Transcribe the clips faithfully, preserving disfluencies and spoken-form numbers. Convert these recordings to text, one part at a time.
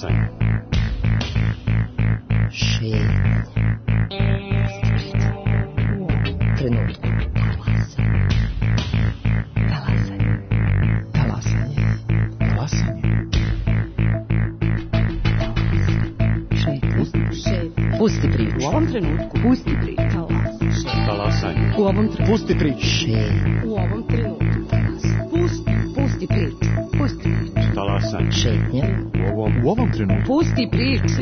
Talasanje. Šetnja. Trenutku. Talasanje. Talasanje. Talasanje. Šetnja. Šetnja. Pusti priču. U ovom trenutku. Pusti priču. Talasanje. U ovom trenutku. Pusti priču. Šetnja. U ovom trenutku. Pusti, pusti priču. Pusti priču. Talasanje. Šetnja. U ovom, u ovom trenutku. Pusti priču.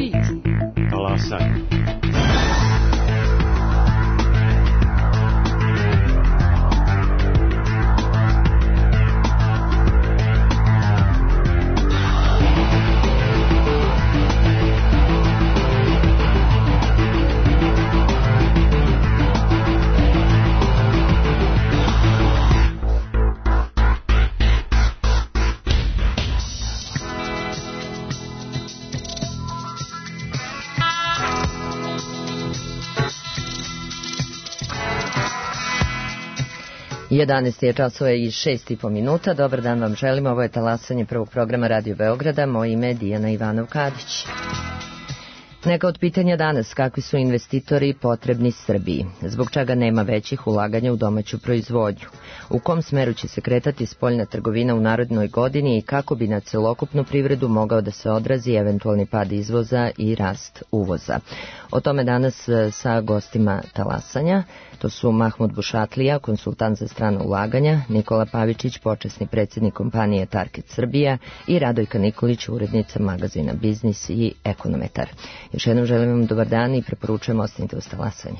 Talasanje. jedanaest je časova i šest i po minuta. Dobar dan vam želimo. Ovo je talasanje prvog programa Radio Beograda. Moje ime je Dijana Ivanov-Kadić. Neka od pitanja danas: kakvi su investitori potrebni Srbiji? Zbog čega nema većih ulaganja u domaću proizvodnju? U kom smeru će se kretati spoljna trgovina u narednoj godini i kako bi na celokupnu privredu mogao da se odrazi eventualni pad izvoza i rast uvoza? O tome danas sa gostima talasanja. To su Mahmud Bušatlija, konsultant za strana ulaganja, Nikola Pavičić, počasni predsjednik kompanije Target Srbija i Radojka Nikolić, urednica magazina Biznis i ekonometar. Još jednom želim vam dobar dan i preporučujem ostanite uz talasanje.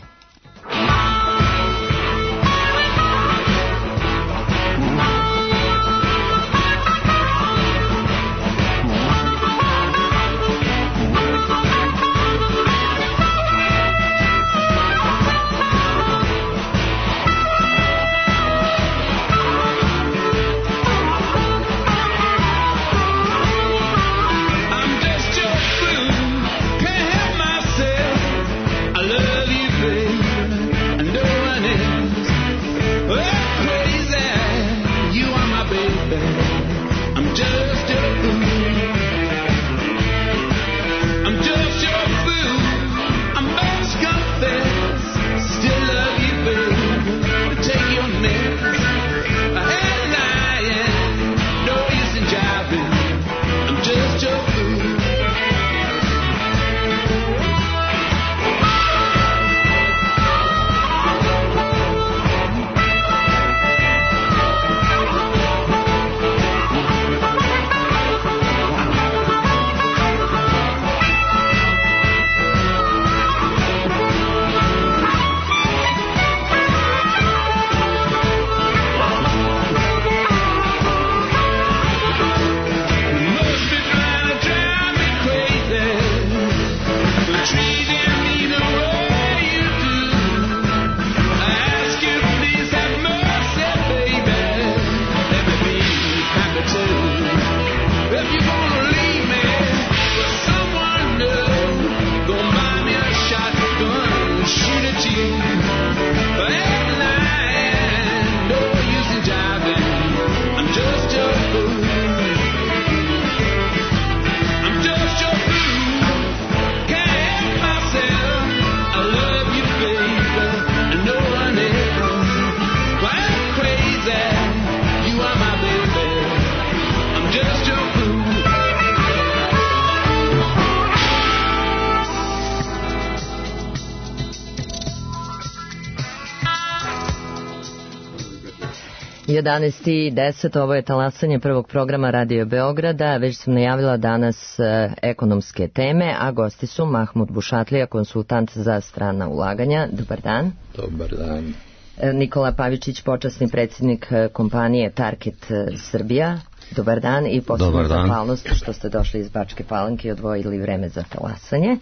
jedanaest i deset, ovo je talasanje prvog programa Radio Beograda. Već sam najavila danas e, ekonomske teme, a gosti su Mahmud Bušatlija, konsultant za strana ulaganja. Dobar dan. Dobar dan. E, Nikola Pavičić, počasni predsjednik kompanije Target Srbija. Dobar dan i posebno zahvalnost što ste došli iz Bačke Palanke i odvojili vreme za talasanje.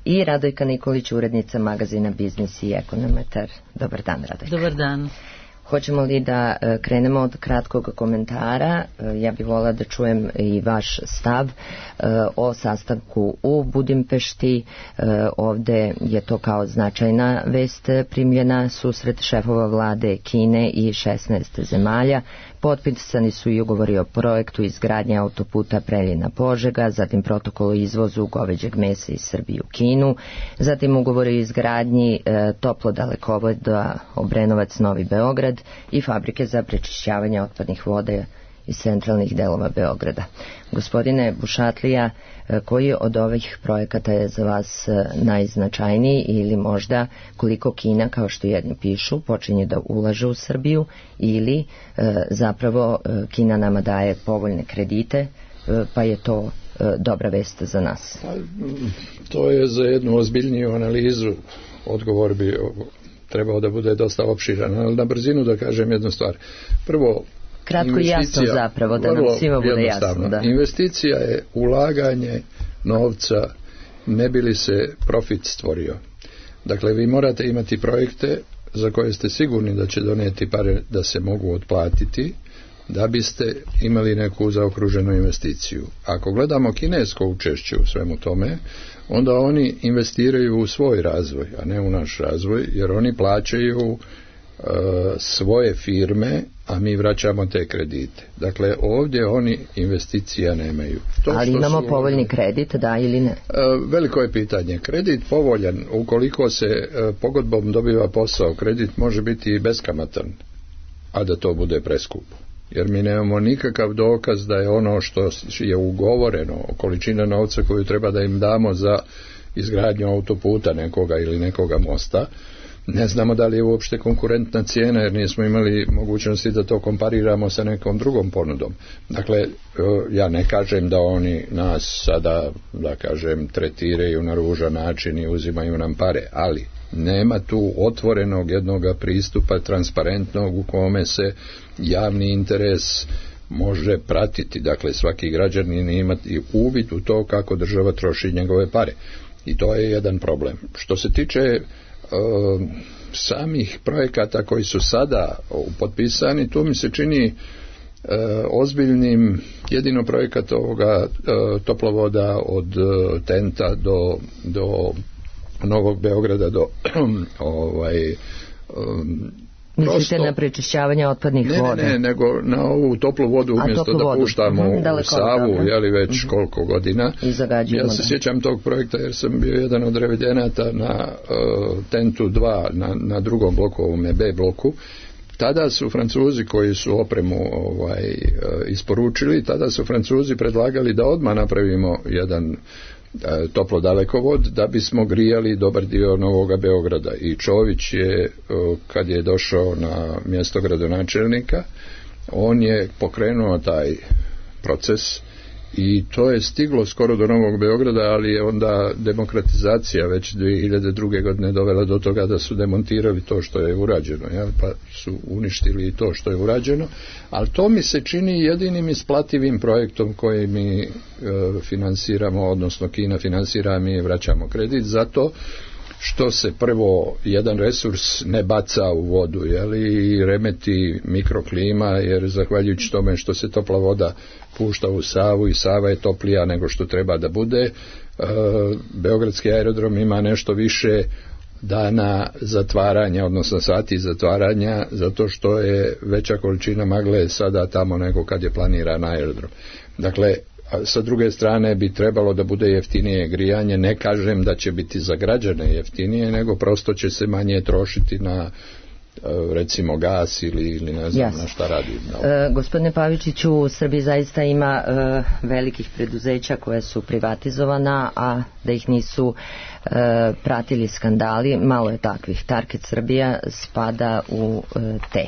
I Radojka Nikolić, urednica magazina Biznis i ekonometar. Dobar dan, Radojka. Dobar dan. Hoćemo li da e, krenemo od kratkog komentara? E, ja bih volila da čujem i vaš stav e, o sastanku u Budimpešti. E, ovde je to kao značajna vest primljena, susret šefova vlade Kine i šesnaest zemalja. Potpisani su i ugovori o projektu izgradnje autoputa Preljina-Požega, zatim protokol o izvozu goveđeg mesa iz Srbije u Kinu, zatim ugovori o izgradnji e, toplodalekovoda Obrenovac-Novi Beograd i fabrike za prečišćavanje otpadnih voda iz centralnih delova Beograda. Gospodine Bušatlija, koji od ovih projekata je za vas najznačajniji ili možda koliko Kina, kao što jedni pišu, počinje da ulaže u Srbiju ili e, zapravo Kina nama daje povoljne kredite, e, pa je to e, dobra vest za nas? To je za jednu ozbiljniju analizu, odgovor bi trebao da bude dosta opširan, ali na brzinu da kažem jednu stvar. Prvo, kratko i jasno zapravo, da nam svima bude jasno. Da. Investicija je ulaganje novca, ne bi li se profit stvorio. Dakle, vi morate imati projekte za koje ste sigurni da će donijeti pare da se mogu otplatiti, da biste imali neku zaokruženu investiciju. Ako gledamo kinesko učešće u svemu tome, onda oni investiraju u svoj razvoj, a ne u naš razvoj, jer oni plaćaju e, svoje firme, a mi vraćamo te kredite. Dakle, ovdje oni investicija nemaju. To Ali imamo su, povoljni kredit, da ili ne? E, veliko je pitanje. Kredit povoljan, ukoliko se e, pogodbom dobiva posao, kredit može biti i beskamatan, a da to bude preskupo. Jer mi nemamo nikakav dokaz da je ono što je ugovoreno, količina novca koju treba da im damo za izgradnju autoputa nekoga ili nekoga mosta, ne znamo da li je uopšte konkurentna cijena, jer nismo imali mogućnosti da to kompariramo sa nekom drugom ponudom. Dakle, ja ne kažem da oni nas sada, da kažem, tretiraju na ružan način i uzimaju nam pare, ali nema tu otvorenog jednoga pristupa transparentnog u kome se javni interes može pratiti. Dakle, svaki građanin imati uvid u to kako država troši njegove pare. I to je jedan problem. Što se tiče e, samih projekata koji su sada potpisani, tu mi se čini e, ozbiljnim jedino projekat ovoga e, toplovoda od e, Tenta do, do Novog Beograda do ovaj um, mislite prosto, na prečišćavanje otpadnih ne, voda? Ne, ne, nego na ovu toplu vodu umjesto da vodu. puštamo mm, u Savu, jeli već mm-hmm. koliko godina. Ja se sjećam tog projekta jer sam bio jedan od revidenata na uh, Tentu dva, na, na drugom bloku, ovome B bloku. Tada su Francuzi koji su opremu ovaj, isporučili, tada su Francuzi predlagali da odmah napravimo jedan toplo dalekovod da bismo grijali dobar dio Novoga Beograda. I Čović je, kad je došao na mjesto gradonačelnika, on je pokrenuo taj proces i to je stiglo skoro do Novog Beograda, ali je onda demokratizacija već dvije hiljade druge. godine dovela do toga da su demontirali to što je urađeno, jel? Pa su uništili to što je urađeno, ali to mi se čini jedinim isplativim projektom koji mi e, finansiramo, odnosno Kina finansira, mi vraćamo kredit, zato što se prvo jedan resurs ne baca u vodu, jel? I remeti mikroklima, jer zahvaljujući tome što se topla voda pušta u Savu i Sava je toplija nego što treba da bude, e, Beogradski aerodrom ima nešto više dana zatvaranja, odnosno sati zatvaranja, zato što je veća količina magle sada tamo nego kad je planiran aerodrom. Dakle, sa druge strane bi trebalo da bude jeftinije grijanje, ne kažem da će biti za građane jeftinije, nego prosto će se manje trošiti na recimo gas ili, ili ne znam yes. na šta radi. No. E, gospodine Pavičiću, u Srbiji zaista ima e, velikih preduzeća koje su privatizovana, a da ih nisu e, pratili skandali, malo je takvih. Target Srbija spada u e, te.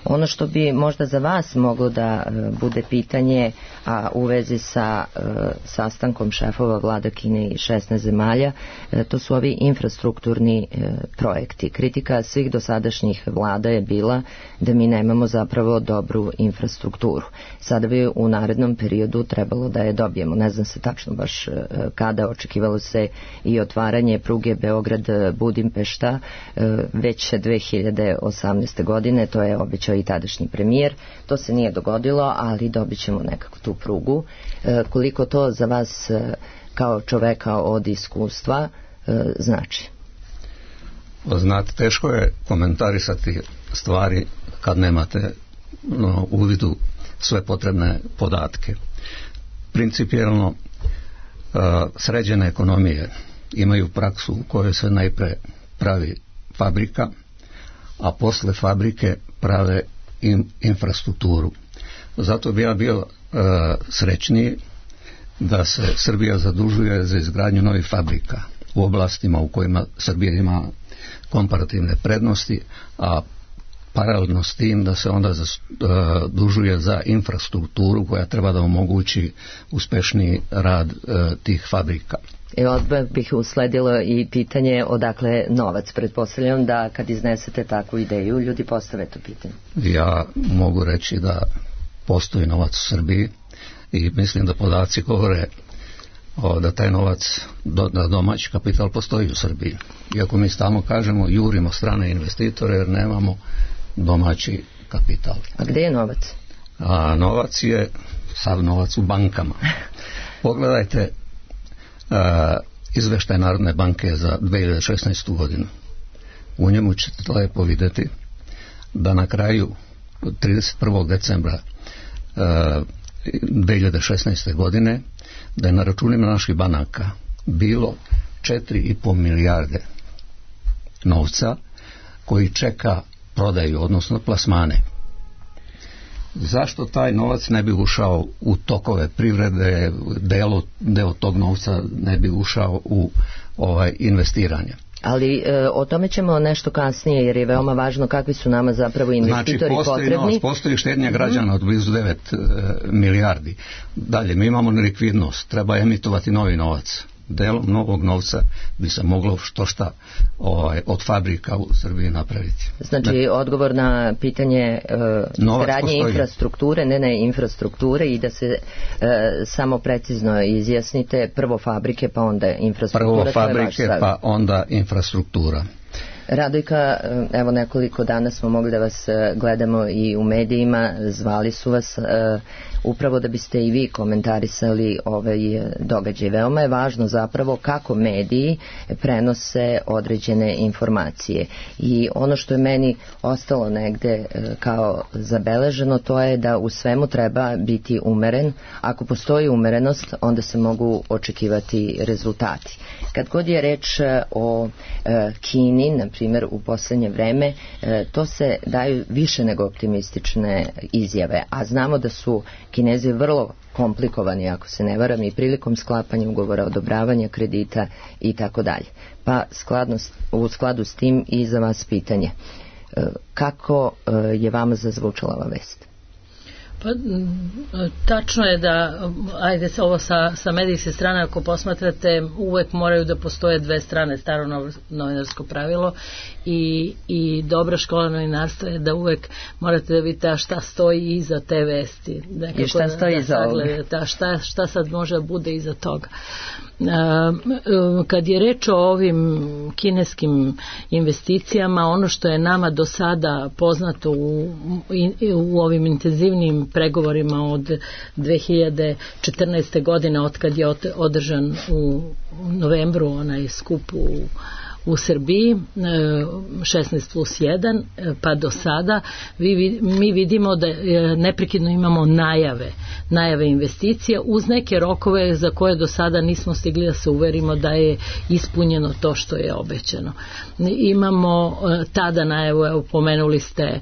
Ono što bi možda za vas moglo da e, bude pitanje, a u vezi sa e, sastankom šefova vlada Kine i šesnaest zemalja, e, to su ovi infrastrukturni e, projekti. Kritika svih dosadašnjih vlada je bila da mi nemamo zapravo dobru infrastrukturu. Sada bi u narednom periodu trebalo da je dobijemo. Ne znam se tačno baš kada, očekivalo se i otvaranje pruge Beograd-Budimpešta već dve hiljade osamnaeste. godine, to je obećao i tadašnji premijer. To se nije dogodilo, ali dobit ćemo nekako tu prugu. Koliko to za vas kao čoveka od iskustva znači? Znate, teško je komentarisati stvari kad nemate no, u vidu sve potrebne podatke. Principijelno uh, sređene ekonomije imaju praksu u kojoj se najpre pravi fabrika, a posle fabrike prave im, infrastrukturu. Zato bi ja bio uh, srećniji da se Srbija zadužuje za izgradnju novih fabrika u oblastima u kojima Srbija ima komparativne prednosti, a paralelno s tim da se onda zadužuje za infrastrukturu koja treba da omogući uspešniji rad uh, tih fabrika. I odmah bih usledilo i pitanje odakle novac. Pretpostavljam da kad iznesete takvu ideju, ljudi postave to pitanje. Ja mogu reći da postoji novac u Srbiji i mislim da podaci govore o, da taj novac, do, da domaći kapital postoji u Srbiji. Iako mi stalno kažemo, jurimo strane investitore jer nemamo domaći kapital. A gdje je novac? A novac je, sav novac u bankama. Pogledajte Uh, izveštaj Narodne banke za dve hiljade šesnaestu. godinu. U njemu ćete lepo vidjeti da na kraju trideset prvog decembra uh, dve hiljade šesnaeste. godine da je na računima naših banaka bilo četiri i po milijarde novca koji čeka prodaju, odnosno plasmane. Zašto taj novac ne bi ušao u tokove privrede, deo, deo tog novca ne bi ušao u ovaj investiranje? Ali e, o tome ćemo nešto kasnije, jer je veoma važno kakvi su nama zapravo investitori znači, postoji potrebni. Novac, postoji štednja građana od blizu devet e, milijardi. Dalje, mi imamo nelikvidnost, treba emitovati novi novac. Delom novog novca bi se moglo što šta ovaj, od fabrika u Srbiji napraviti. Znači ne, odgovor na pitanje uh, gradnje infrastrukture, ne ne infrastrukture i da se uh, samo precizno izjasnite, prvo fabrike pa onda infrastruktura. Prvo fabrike pa onda infrastruktura. Radojka, evo nekoliko dana smo mogli da vas gledamo i u medijima, zvali su vas uh, upravo da biste i vi komentarisali ovaj događaj. Veoma je važno zapravo kako mediji prenose određene informacije i ono što je meni ostalo negde uh, kao zabeleženo, to je da u svemu treba biti umeren. Ako postoji umerenost, onda se mogu očekivati rezultati. Kad god je reč o uh, Kini, na primjer u posljednje vreme, e, to se daju više nego optimistične izjave, a znamo da su Kinezi vrlo komplikovani, ako se ne varam, i prilikom sklapanja ugovora, odobravanja kredita i tako dalje. Pa skladno, u skladu s tim i za vas pitanje. E, kako e, je vama zazvučala ova vest? Pa, tačno je da, ajde ovo sa, sa medijske strane, ako posmatrate, uvek moraju da postoje dve strane, staro novinarsko pravilo i, i dobra škola novinarstva je da uvek morate da vidite šta stoji iza te vesti. Nekako I šta stoji da, iza ovoga? Šta, šta sad može da bude iza toga. Kad je reč o ovim kineskim investicijama, ono što je nama do sada poznato u, u ovim intenzivnim pregovorima od dve hiljade četrnaeste. godine, od kad je održan u novembru onaj skup u u Srbiji šesnaest plus jedan pa do sada vi, mi vidimo da neprekidno imamo najave najave investicija uz neke rokove za koje do sada nismo stigli da se uverimo da je ispunjeno to što je obećano. Imamo tada najavu, evo pomenuli ste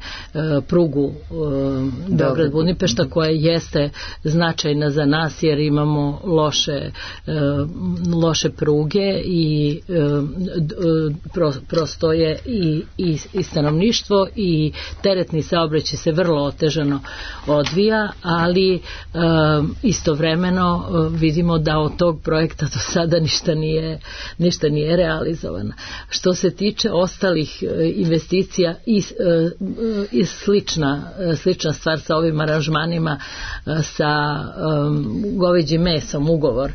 prugu Beograd-Budimpešta koja jeste značajna za nas jer imamo loše loše pruge i prosto je i, i, i stanovništvo i teretni saobraćaj se vrlo otežano odvija, ali istovremeno vidimo da od tog projekta do sada ništa nije, ništa nije realizovano. Što se tiče ostalih investicija i, i slična, slična stvar sa ovim aranžmanima sa um, goveđim mesom, ugovor.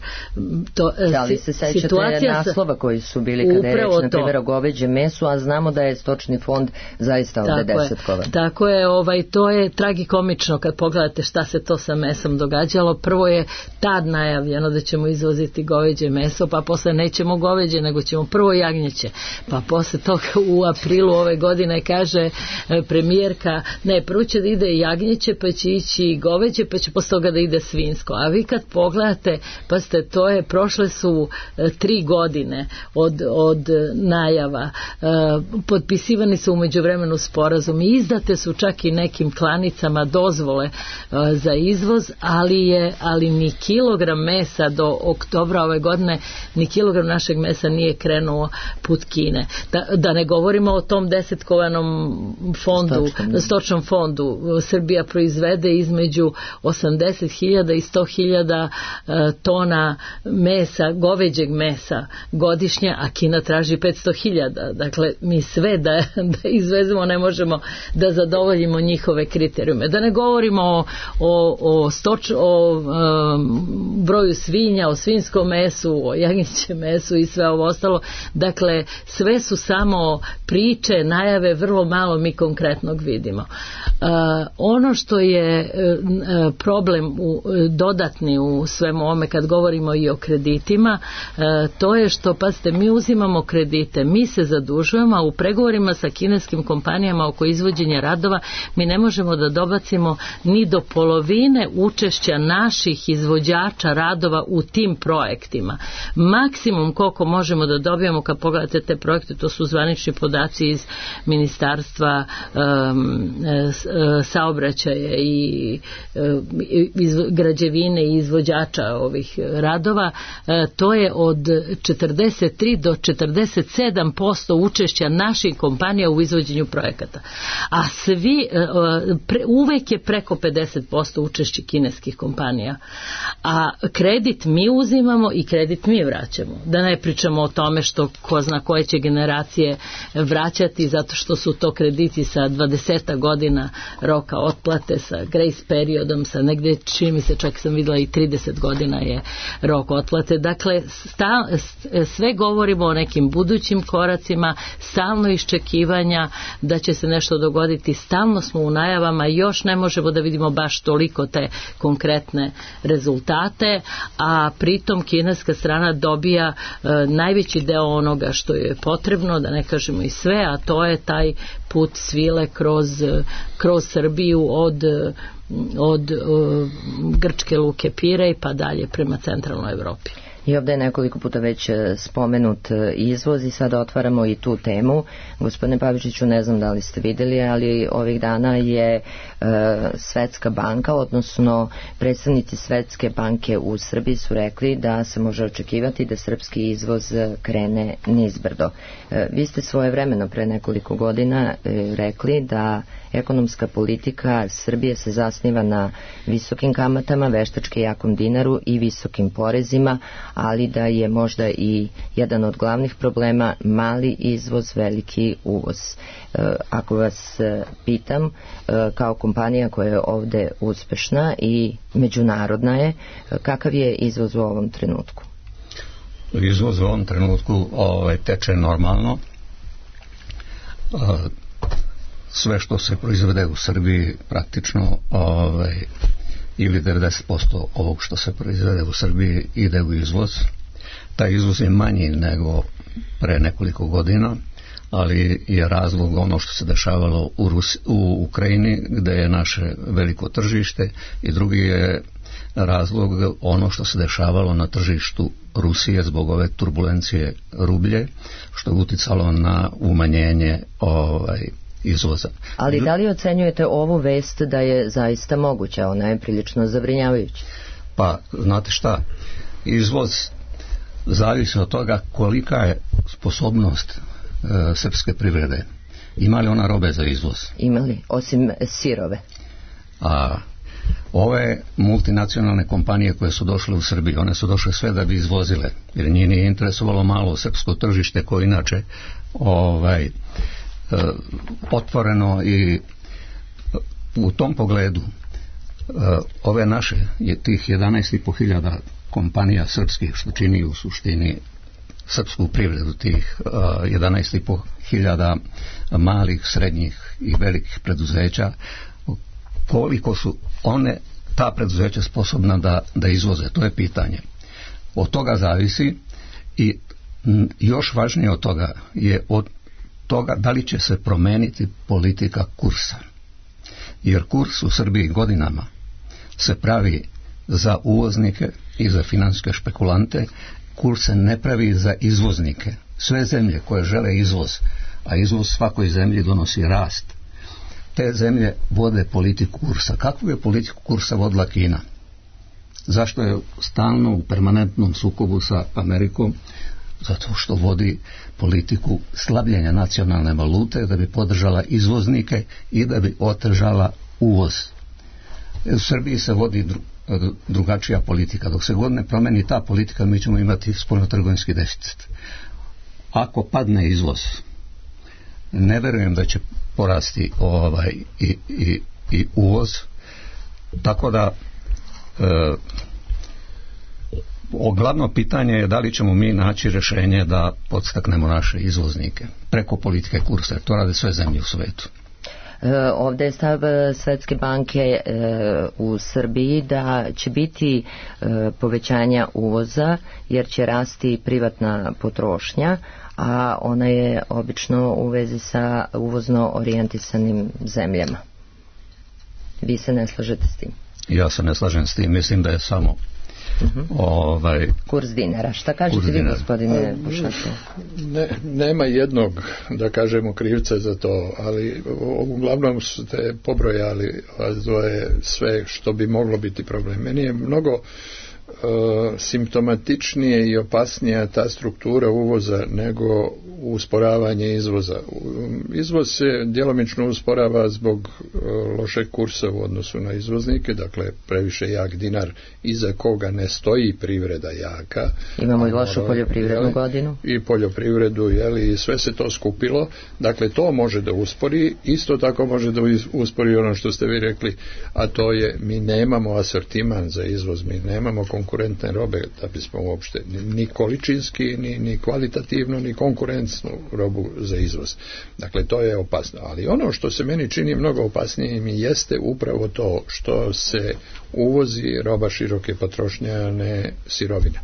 To, da li se sećate naslova koji su bili kada je reč na primjer o goveđem mesu, a znamo da je stočni fond zaista ovde desetkovan. Tako je, ovaj, to je tragikomično kad pogledate šta se to sa mesom događalo. Prvo je tad najavljeno da ćemo izvoziti goveđe meso, pa posle nećemo goveđe, nego ćemo prvo jagnjeće. Pa posle toga u aprilu ove godine kaže premijerka, ne, prvo će da ide jagnjeće, pa će ići goveđe, pa će posle toga da ide svinsko. A vi kad pogledate, pa ste, to je, prošle su e, tri godine od, od najava, e, potpisivani su u međuvremenu sporazum i izdate su čak i nekim klanicama dozvole e, za izvoz, ali je, ali ni kilogram mesa do oktobra ove godine, ni kilogram našeg mesa nije krenuo put Kine. Da, da ne govorimo o tom desetkovanom fondu, stočnom, stočnom fondu. Srbija proizvede između osamdeset hiljada i sto hiljada e, tona mesa, goveđeg mesa godišnje, a Kina traži petsto hiljada. Dakle, mi sve da, da izvezemo ne možemo da zadovoljimo njihove kriterijume. Da ne govorimo o, o, o, stoč, o um, broju svinja, o svinskom mesu, o jagnjećem mesu i sve ovo ostalo. Dakle, sve su samo priče, najave, vrlo malo mi konkretnog vidimo. Uh, ono što je uh, problem u, dodatni u svemu ovome kad govorimo i o kreditima, uh, to je što, pazite, mi uzimamo kredite, mi se zadužujemo, a u pregovorima sa kineskim kompanijama oko izvođenja radova mi ne možemo da dobacimo ni do polovine učešća naših izvođača radova u tim projektima. Maksimum koliko možemo da dobijemo, kad pogledate te projekte, to su zvanični podaci iz Ministarstva um, saobraćaja i iz građevine i izvođača ovih radova, to je od četrdeset tri do četrdeset sedam posto učešća naših kompanija u izvođenju projekata. A svi, pre, uvek je preko pedeset posto učešće kineskih kompanija. A kredit mi uzimamo i kredit mi vraćamo. Da ne pričamo o tome što ko zna koje će generacije vraćati, zato što su to krediti sa dvadeset godina roka otplate, sa grace periodom, sa negde, čini mi se, čak sam videla i trideset godina je rok otplate. Dakle, sta, sve govorimo o nekim budućim koracima, stalno iščekivanja da će se nešto dogoditi, stalno smo u najavama, još ne možemo da vidimo baš toliko te konkretne rezultate, a pritom kineska strana dobija e, najveći deo onoga što je potrebno, da ne kažemo i sve, a to je taj put svile kroz, kroz Srbiju od, od uh, grčke luke Pirej pa dalje prema centralnoj Evropi. I ovdje je nekoliko puta već spomenut izvoz i sada otvaramo i tu temu. Gospodine Pavičiću, ne znam da li ste vidjeli, ali ovih dana je e, Svetska banka, odnosno predstavnici Svetske banke u Srbiji su rekli da se može očekivati da srpski izvoz krene nizbrdo. E, vi ste svojevremeno pre nekoliko godina e, rekli da ekonomska politika Srbije se zasniva na visokim kamatama, veštački jakom dinaru i visokim porezima, ali da je možda i jedan od glavnih problema mali izvoz, veliki uvoz. E, ako vas pitam, e, kao kompanija koja je ovde uspešna i međunarodna je, kakav je izvoz u ovom trenutku? Izvoz u ovom trenutku ovaj, teče normalno. E, sve što se proizvede u Srbiji praktično ovaj, ili devedeset posto ovog što se proizvede u Srbiji ide u izvoz. Taj izvoz je manji nego pre nekoliko godina, ali je razlog ono što se dešavalo u, Rusi, u Ukrajini, gde je naše veliko tržište, i drugi je razlog ono što se dešavalo na tržištu Rusije zbog ove turbulencije rublje, što je uticalo na umanjenje ovaj, izvoza. Ali da li ocenjujete ovu vest da je zaista moguća? Ona je prilično zabrinjavajuća. Pa, znate šta, izvoz zavisi od toga kolika je sposobnost e, srpske privrede. Ima li ona robe za izvoz? Ima li, osim sirove? A ove multinacionalne kompanije koje su došle u Srbiju, one su došle sve da bi izvozile, jer njih nije interesovalo malo srpsko tržište koje inače ovaj, otvoreno, i u tom pogledu ove naše, je tih jedanaest i po hiljada kompanija srpskih, što čini u suštini srpsku privredu, tih jedanaest i po hiljada malih, srednjih i velikih preduzeća, koliko su one, ta preduzeća, sposobna da, da izvoze, to je pitanje. Od toga zavisi, i još važnije od toga je od toga da li će se promeniti politika kursa. Jer kurs u Srbiji godinama se pravi za uvoznike i za financijske špekulante, kurs se ne pravi za izvoznike. Sve zemlje koje žele izvoz, a izvoz svakoj zemlji donosi rast, te zemlje vode politiku kursa. Kakvu je politiku kursa vodila Kina? Zašto je stalno u permanentnom sukobu sa Amerikom? Zato što vodi politiku slabljenja nacionalne valute da bi podržala izvoznike i da bi otežala uvoz. U Srbiji se vodi dru, drugačija politika. Dok se god ne promeni ta politika, mi ćemo imati spoljnotrgovinski deficit. Ako padne izvoz, ne verujem da će porasti ovaj i, i, i uvoz, tako da e, glavno pitanje je da li ćemo mi naći rješenje da podstaknemo naše izvoznike preko politike kursa, jer to rade sve zemlje u svetu. E, ovdje je stav Svetske banke e, u Srbiji da će biti e, povećanja uvoza, jer će rasti privatna potrošnja, a ona je obično u vezi sa uvozno orijentisanim zemljama. Vi se ne slažete s tim? Ja se ne slažem s tim, mislim da je samo Uh-huh. ovaj, kurs dinara. Šta kažete vi, gospodine Bušato? Ne, nema jednog, da kažemo, krivca za to, ali uglavnom ste pobrojali je sve što bi moglo biti problem. Meni je mnogo uh, simptomatičnije i opasnija ta struktura uvoza nego usporavanje izvoza. Izvoz se djelomično usporava zbog uh, lošeg kursa u odnosu na izvoznike, dakle previše jak dinar iza koga ne stoji privreda jaka. Imamo i lošu poljoprivrednu jeli, godinu. I poljoprivredu, jeli, i sve se to skupilo. Dakle, to može da uspori, isto tako može da uspori ono što ste vi rekli, a to je mi nemamo asortiman za izvoz, mi nemamo konkurentne robe da bismo uopšte ni količinski, ni, ni kvalitativno, ni konkurentnu robu za izvoz. Dakle, to je opasno. Ali ono što se meni čini mnogo opasnijim jeste upravo to što se uvozi roba široke potrošnje, a ne sirovina.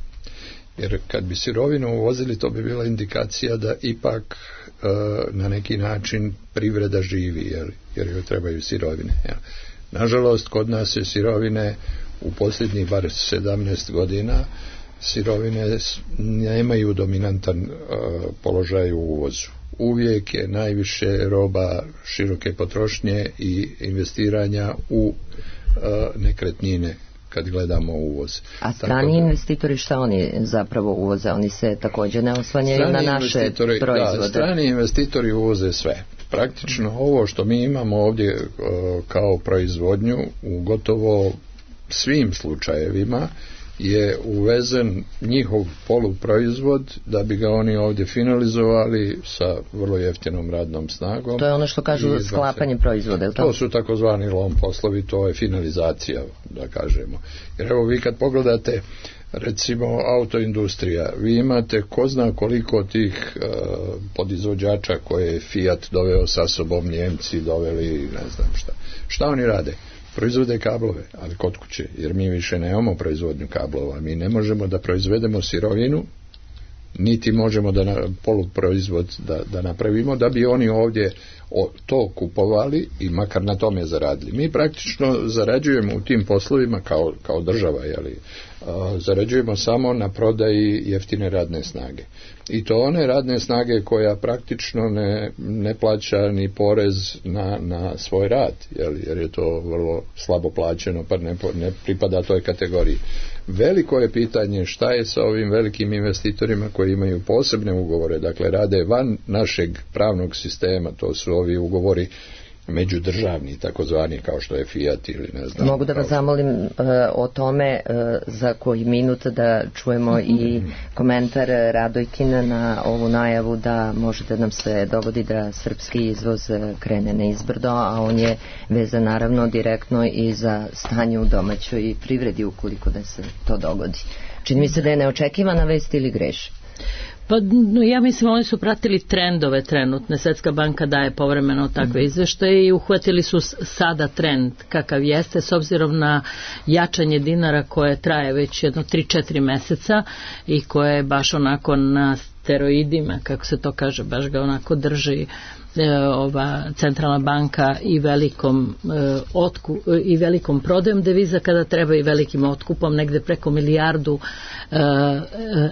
Jer kad bi sirovinu uvozili, to bi bila indikacija da ipak e, na neki način privreda živi, jer, jer joj trebaju sirovine. Ja. Nažalost, kod nas je sirovine u posljednjih bar sedamnaest godina sirovine nemaju dominantan uh, položaj u uvozu. Uvijek je najviše roba široke potrošnje i investiranja u uh, nekretnine kad gledamo uvoz. A strani da, investitori šta oni zapravo uvoze? Oni se također ne oslanjaju na naše proizvode? Da, strani investitori uvoze sve. Praktično hmm. ovo što mi imamo ovdje uh, kao proizvodnju u gotovo svim slučajevima je uvezen njihov poluproizvod da bi ga oni ovdje finalizovali sa vrlo jeftinom radnom snagom. To je ono što kažu sklapanje proizvoda, je li to? To su takozvani lom poslovi, to je finalizacija, da kažemo. Jer evo vi kad pogledate recimo autoindustrija, vi imate ko zna koliko tih uh, podizvođača koje je Fiat doveo sa sobom, Njemci doveli, ne znam šta. Šta oni rade? Proizvode kablove, ali kod kuće, jer mi više nemamo proizvodnju kablova, mi ne možemo da proizvedemo sirovinu, niti možemo da na, poluproizvod da, da napravimo, da bi oni ovdje o, to kupovali i makar na tome zaradili. Mi praktično zarađujemo u tim poslovima kao, kao država, jeli, a, zarađujemo samo na prodaji jeftine radne snage. I to one radne snage koja praktično ne, ne plaća ni porez na, na svoj rad, jeli, jer je to vrlo slabo plaćeno, pa ne, ne pripada toj kategoriji. Veliko je pitanje šta je sa ovim velikim investitorima koji imaju posebne ugovore, dakle rade van našeg pravnog sistema, to su ovi ugovori međudržavni, takozvani, kao što je Fiat ili ne znam. Mogu da vas zamolim uh, o tome uh, za koji minut da čujemo i komentar Radojkina na ovu najavu da može da nam se dogodi da srpski izvoz krene na izbrdo, a on je vezan naravno direktno i za stanje u domaćoj privredi ukoliko da se to dogodi. Čini mi se da je neočekivana vest ili greš? Pa ja mislim oni su pratili trendove trenutne. Svetska banka daje povremeno takve izveštaje i uhvatili su sada trend kakav jeste s obzirom na jačanje dinara koje traje već jedno tri četiri meseca i koje je baš onako na steroidima, kako se to kaže, baš ga onako drži ova centralna banka i velikom e, otku, i velikom prodajom deviza kada treba i velikim otkupom, negde preko milijardu e,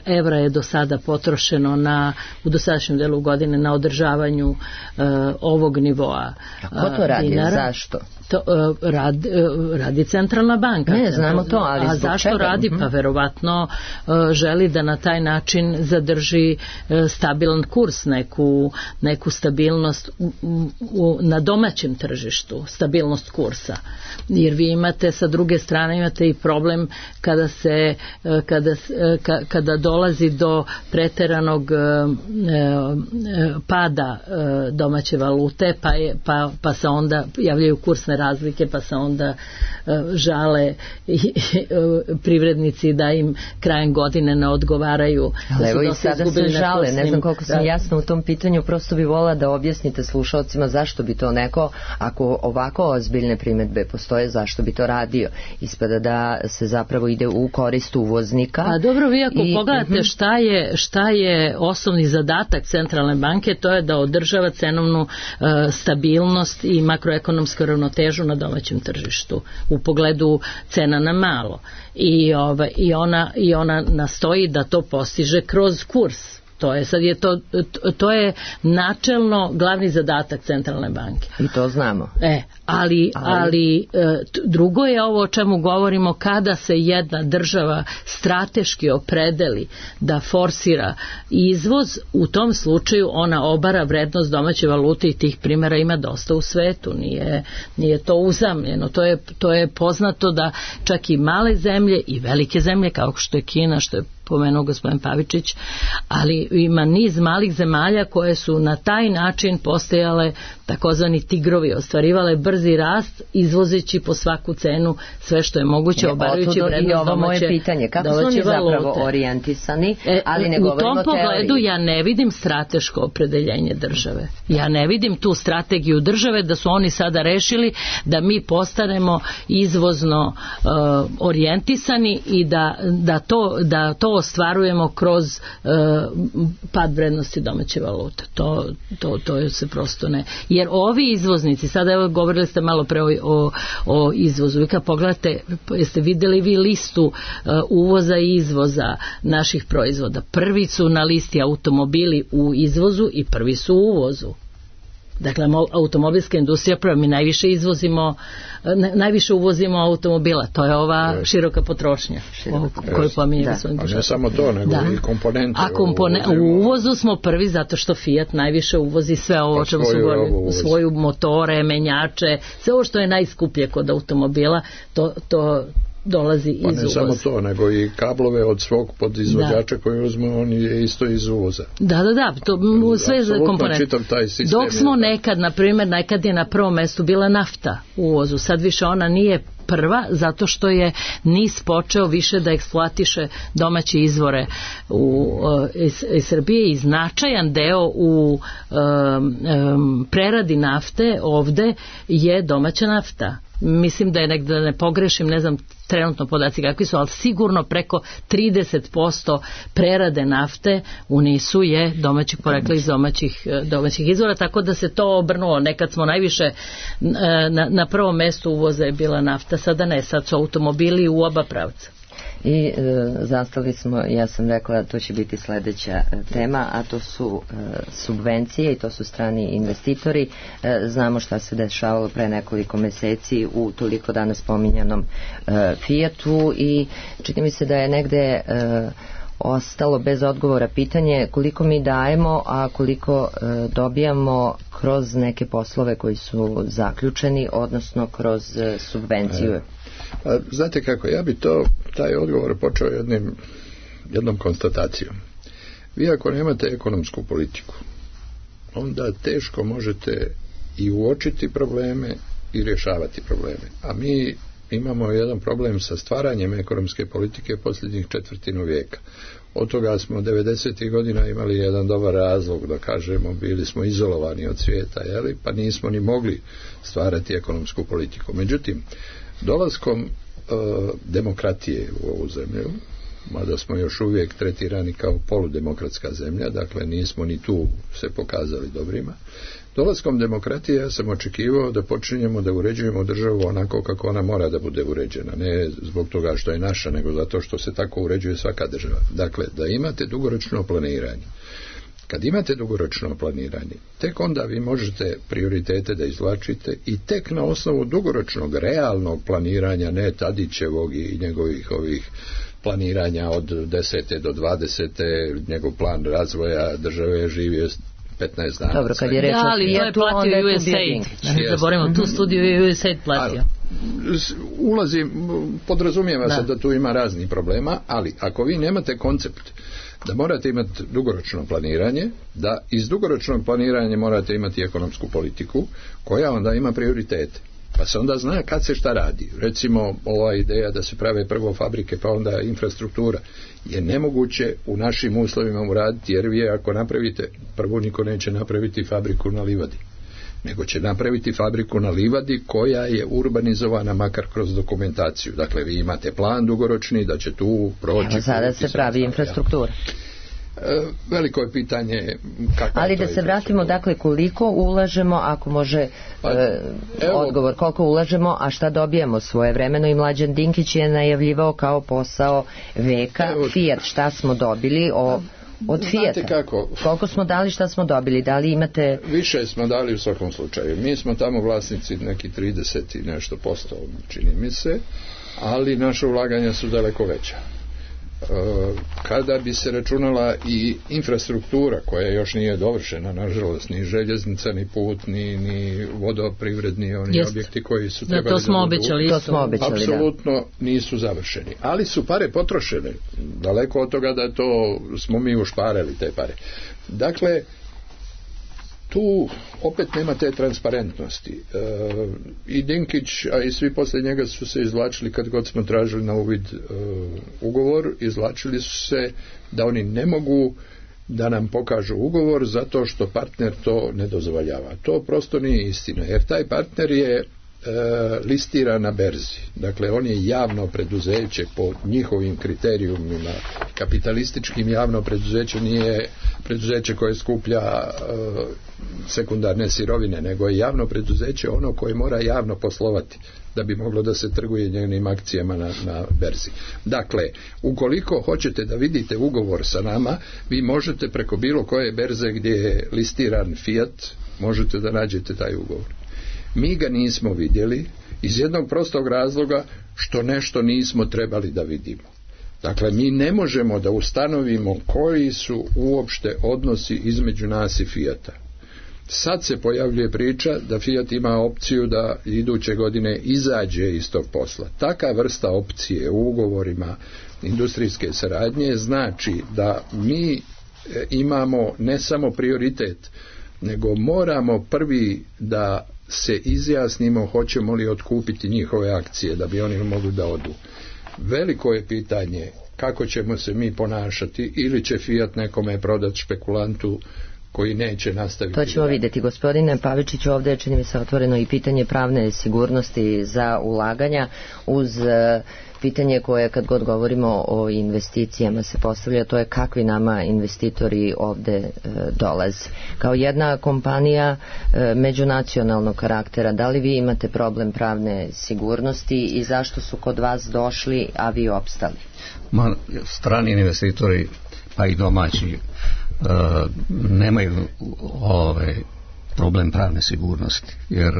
evra je do sada potrošeno na, u dosadašnjem delu godine na održavanju e, ovog nivoa dinara. A ko to radi? Dinara. Zašto? To, rad, radi centralna banka. Ne, znamo to, ali a zašto čega? radi? Pa verovatno želi da na taj način zadrži stabilan kurs, neku, neku stabilnost u, u, na domaćem tržištu, stabilnost kursa. Jer vi imate sa druge strane imate i problem kada se kada, kada dolazi do preteranog pada domaće valute, pa, je, pa, pa se onda javljaju kursne razlike, pa se onda uh, žale i, uh, privrednici da im krajem godine ne odgovaraju. Ali evo i sada se žale, ne znam koliko sam jasna u tom pitanju, prosto bi volila da objasnite slušalcima zašto bi to neko, ako ovako ozbiljne primedbe postoje, zašto bi to radio. Ispada da se zapravo ide u korist uvoznika. A dobro, vi ako i, pogledate uh-huh. šta, je, šta je osnovni zadatak centralne banke, to je da održava cenovnu uh, stabilnost i makroekonomsku ravnotežu na domaćem tržištu u pogledu cena na malo i, ova, i, ona, i ona nastoji da to postiže kroz kurs. To je sad je to, to je načelno glavni zadatak centralne banke. I to znamo. E, ali, ali... ali drugo je ovo o čemu govorimo kada se jedna država strateški opredeli da forsira izvoz, u tom slučaju ona obara vrednost domaće valute i tih primjera ima dosta u svetu. Nije, nije to uzamljeno. To je, to je poznato da čak i male zemlje i velike zemlje kao što je Kina, što je pomenuo gospodin Pavičić, ali ima niz malih zemalja koje su na taj način postajale takozvani tigrovi, ostvarivale brzi rast izvozeći po svaku cenu sve što je moguće, obarajući vrednost domaće moje pitanje, kako su oni zapravo orijentisani, ali ne govorimo o teoriji. U tom pogledu ja ne vidim strateško opredeljenje države. Ja ne vidim tu strategiju države da su oni sada rešili da mi postanemo izvozno uh, orijentisani i da, da to, da to ostvarujemo kroz uh, pad vrednosti domaće valute. To, to, to se prosto ne. Jer ovi izvoznici, sada evo govorili ste malo pre o, o, o izvozu, i kad pogledate, jeste videli vi listu uh, uvoza i izvoza naših proizvoda. Prvi su na listi automobili u izvozu i prvi su u uvozu. Dakle, automobilska industrija prva, mi najviše izvozimo, najviše uvozimo automobila, to je ova široka potrošnja široka. koju pominje da. A ne samo to, nego da. i komponente. A kompone, u uvozu smo prvi zato što Fiat najviše uvozi sve ovo o čemu su govorili, svoju motore, menjače, sve ovo što je najskuplje kod automobila, to, to dolazi iz uvoza. Pa ne uvoza. samo to, nego i kablove od svog podizvođača da. koji uzme, on je isto iz uvoza. Da, da, da, to sve za komponente. Dok smo nekad, na primjer, nekad je na prvom mjestu bila nafta u uvozu, sad više ona nije prva, zato što je NIS počeo više da eksploatiše domaće izvore u, iz, iz Srbije i značajan deo u um, um, preradi nafte ovde je domaća nafta. Mislim da je negdje, da ne pogrešim, ne znam trenutno podaci kakvi su, ali sigurno preko trideset posto prerade nafte u NIS-u je domaćih porekla iz domaćih, domaćih izvora, tako da se to obrnulo. Nekad smo najviše na, na prvom mjestu uvoza je bila nafta, sada ne, sad su automobili u oba pravca. I e, zastali smo, ja sam rekla to će biti sljedeća e, tema, a to su e, subvencije i to su strani investitori. E, znamo šta se dešavalo pre nekoliko meseci u toliko danas pominjanom e, Fiatu i čini mi se da je negde e, ostalo bez odgovora pitanje koliko mi dajemo, a koliko e, dobijamo kroz neke poslove koji su zaključeni, odnosno kroz e, subvenciju. E, a, znate kako, ja bi to, taj odgovor počeo jednim, jednom konstatacijom. Vi ako nemate ekonomsku politiku, onda teško možete i uočiti probleme i rješavati probleme. A mi imamo jedan problem sa stvaranjem ekonomske politike posljednjih četvrtinu vijeka. Od toga smo devedesetih godina imali jedan dobar razlog, da kažemo, bili smo izolovani od svijeta, jeli? Pa nismo ni mogli stvarati ekonomsku politiku. Međutim, dolaskom e, demokratije u ovu zemlju, mada smo još uvijek tretirani kao poludemokratska zemlja, dakle nismo ni tu se pokazali dobrima, dolaskom demokratije ja sam očekivao da počinjemo da uređujemo državu onako kako ona mora da bude uređena, ne zbog toga što je naša, nego zato što se tako uređuje svaka država. Dakle, da imate dugoročno planiranje. Kad imate dugoročno planiranje, tek onda vi možete prioritete da izvlačite i tek na osnovu dugoročnog, realnog planiranja, ne Tadićevog i njegovih ovih planiranja od desete do dvadesete, njegov plan razvoja države je živio petnaest dana. Dobro, kad je reč da, ali to je platio U S A I D. Ne zaboravimo, tu studiju je U S A I D platio. Ulazim, podrazumijeva da. se da tu ima razni problema, ali ako vi nemate koncept da morate imati dugoročno planiranje, da iz dugoročnog planiranja morate imati ekonomsku politiku koja onda ima prioritete. Pa se onda zna kad se šta radi. Recimo, ova ideja da se prave prvo fabrike pa onda infrastruktura je nemoguće u našim uslovima uraditi, jer vi ako napravite, prvo niko neće napraviti fabriku na livadi, nego će napraviti fabriku na livadi koja je urbanizovana makar kroz dokumentaciju. Dakle, vi imate plan dugoročni da će tu proći... Evo, sada se pravi infrastruktura. E, veliko je pitanje kako. Ali da se vratimo, dakle, koliko ulažemo, ako može pa, e, odgovor, koliko ulažemo, a šta dobijemo svojevremeno, i Mlađan Dinkić je najavljivao kao posao veka. Evo, Fiat, šta smo dobili o, od Fijata? Kako? Koliko smo dali, šta smo dobili? Da li imate... Više smo dali u svakom slučaju. Mi smo tamo vlasnici neki trideset i nešto posto, čini mi se, ali naše ulaganja su daleko veća. Kada bi se računala i infrastruktura koja još nije dovršena, nažalost, ni željeznica, ni put, ni, ni vodoprivredni oni Jest. objekti koji su trebali da, to smo da obećali, to smo obećali, apsolutno da. nisu završeni, ali su pare potrošene, daleko od toga da to smo mi ušparali te pare. Dakle, tu opet nema te transparentnosti. E, i Dinkić, a i svi poslije njega su se izvlačili, kad god smo tražili na uvid e, ugovor, izvlačili su se da oni ne mogu da nam pokažu ugovor zato što partner to ne dozvoljava. To prosto nije istina, jer taj partner je E, listira na berzi. Dakle, on je javno preduzeće po njihovim kriterijumima. Kapitalističkim javno preduzeće nije preduzeće koje skuplja e, sekundarne sirovine, nego je javno preduzeće ono koje mora javno poslovati da bi moglo da se trguje njenim akcijama na, na berzi. Dakle, ukoliko hoćete da vidite ugovor sa nama, vi možete preko bilo koje berze gdje je listiran Fiat, možete da nađete taj ugovor. Mi ga nismo vidjeli iz jednog prostog razloga što nešto nismo trebali da vidimo. Dakle, mi ne možemo da ustanovimo koji su uopšte odnosi između nas i Fijata. Sad se pojavljuje priča da Fiat ima opciju da iduće godine izađe iz tog posla. Taka vrsta opcije u ugovorima industrijske saradnje znači da mi imamo ne samo prioritet, nego moramo prvi da se izjasnimo hoćemo li otkupiti njihove akcije da bi oni mogli da odu. Veliko je pitanje kako ćemo se mi ponašati, ili će Fiat nekome prodati špekulantu koji neće nastaviti. To ćemo vidjeti. Gospodine Pavičić, ovdje je, čini mi se, otvoreno i pitanje pravne sigurnosti za ulaganja uz pitanje koje kad god govorimo o investicijama se postavlja, to je kakvi nama investitori ovde e, dolaze. Kao jedna kompanija e, međunacionalnog karaktera, da li vi imate problem pravne sigurnosti i zašto su kod vas došli, a vi opstali? Ma, strani investitori, pa i domaći, e, nemaju ove problem pravne sigurnosti, jer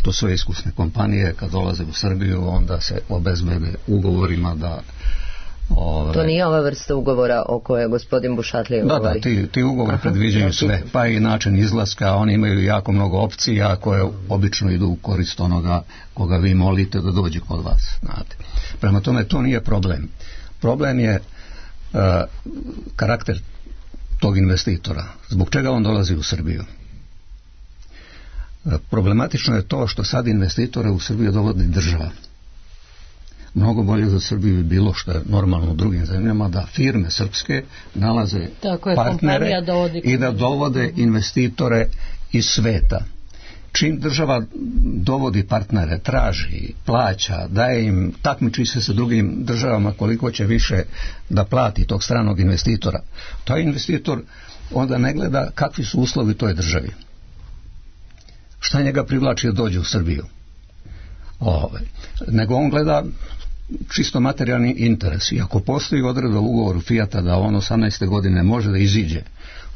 to su iskusne kompanije kad dolaze u Srbiju, onda se obezbede ugovorima da Ove, to nije ova vrsta ugovora o kojoj gospodin Bušatlija govori. Da, da, ti, ti ugovori predviđaju sve, pa i način izlaska, oni imaju jako mnogo opcija koje obično idu u korist onoga koga vi molite da dođe kod vas. Znate. Prema tome, to nije problem. Problem je uh, karakter tog investitora. Zbog čega on dolazi u Srbiju? Uh, problematično je to što sad investitore u Srbiju dovodi država. Mnogo bolje za Srbiju bi bilo, što je normalno u drugim zemljama, da firme srpske nalaze je, partnere da i da dovode investitore iz sveta. Čim država dovodi partnere, traži, plaća, daje im, takmiči se sa drugim državama koliko će više da plati tog stranog investitora, taj investitor onda ne gleda kakvi su uslovi toj državi. Šta njega privlači da dođe u Srbiju? Ove, nego on gleda čisto materijalni interes. I ako postoji odredba u ugovoru Fijata da on osamnaeste godine može da iziđe,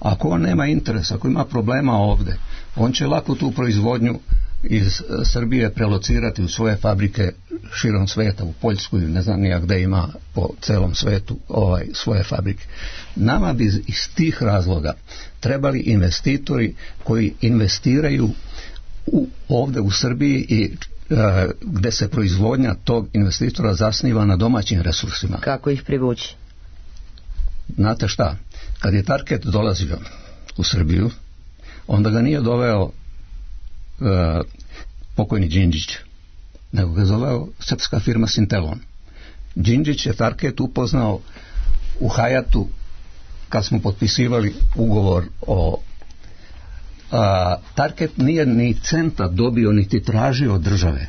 ako on nema interesa, ako ima problema ovde, on će lako tu proizvodnju iz Srbije prelocirati u svoje fabrike širom sveta, u Poljsku, ne znam nijak gde ima po celom svetu ovaj, svoje fabrike. Nama bi iz tih razloga trebali investitori koji investiraju u, ovde u Srbiji i gde se proizvodnja tog investitora zasniva na domaćim resursima. Kako ih privući? Znate šta? Kad je Tarket dolazio u Srbiju, onda ga nije doveo uh, pokojni Đinđić, nego ga zoveo srpska firma Sintelon. Đinđić je Tarket upoznao u Hajatu kad smo potpisivali ugovor o A, Tarket nije ni centa dobio niti tražio od države.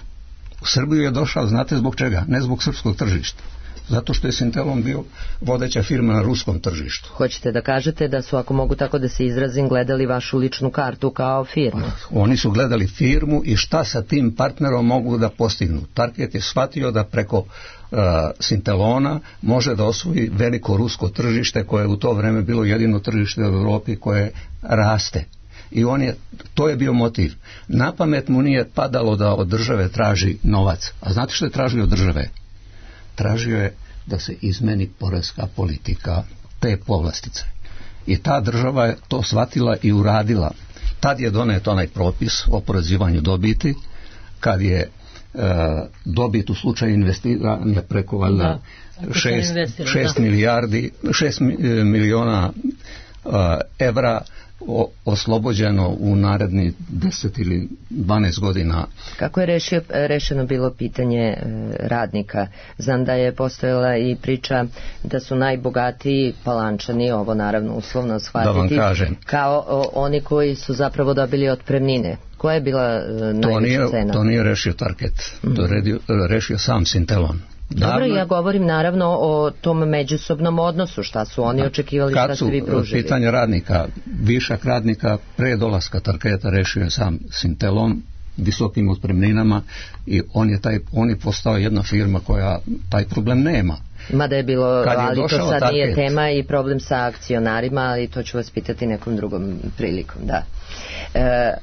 U Srbiju je došao, znate zbog čega? Ne zbog srpskog tržišta. Zato što je Sintelon bio vodeća firma na ruskom tržištu. Hoćete da kažete da su, ako mogu tako da se izrazim, gledali vašu ličnu kartu kao firmu? Oni su gledali firmu i šta sa tim partnerom mogu da postignu. Tarket je shvatio da preko uh, Sintelona može da osvoji veliko rusko tržište koje je u to vreme bilo jedino tržište u Evropi koje raste. I on je, to je bio motiv. Na pamet mu nije padalo da od države traži novac. A znate što je tražio od države? Tražio je da se izmeni poreska politika te povlastice. I ta država je to shvatila i uradila. Tad je donet onaj propis o oporezivanju dobiti, kad je e, dobit u slučaju investiranja preko valjda šest, šest milijardi, šest miliona e, evra O, oslobođeno u naredni deset ili dvanaest godina. Kako je rešio, rešeno bilo pitanje e, radnika? Znam da je postojala i priča da su najbogatiji Palančani, ovo naravno uslovno shvatiti, da vam kažem, kao o, oni koji su zapravo dobili otpremnine. Koja je bila e, najveća to nije, cena? To nije rešio Tarket, mm-hmm. to je redio, rešio sam Sintelon. Dobro, ja govorim naravno o tom međusobnom odnosu, šta su oni očekivali, šta ste vi pružili. Kad su pitanje radnika, višak radnika pre dolaska Tarketa rešio je sam Sintelon visokim otpremninama i on je, taj, on je postao jedna firma koja taj problem nema. Mada je bilo, je ali to sad Tarket. Nije tema i problem sa akcionarima, ali to ću vas pitati nekom drugom prilikom, da. E,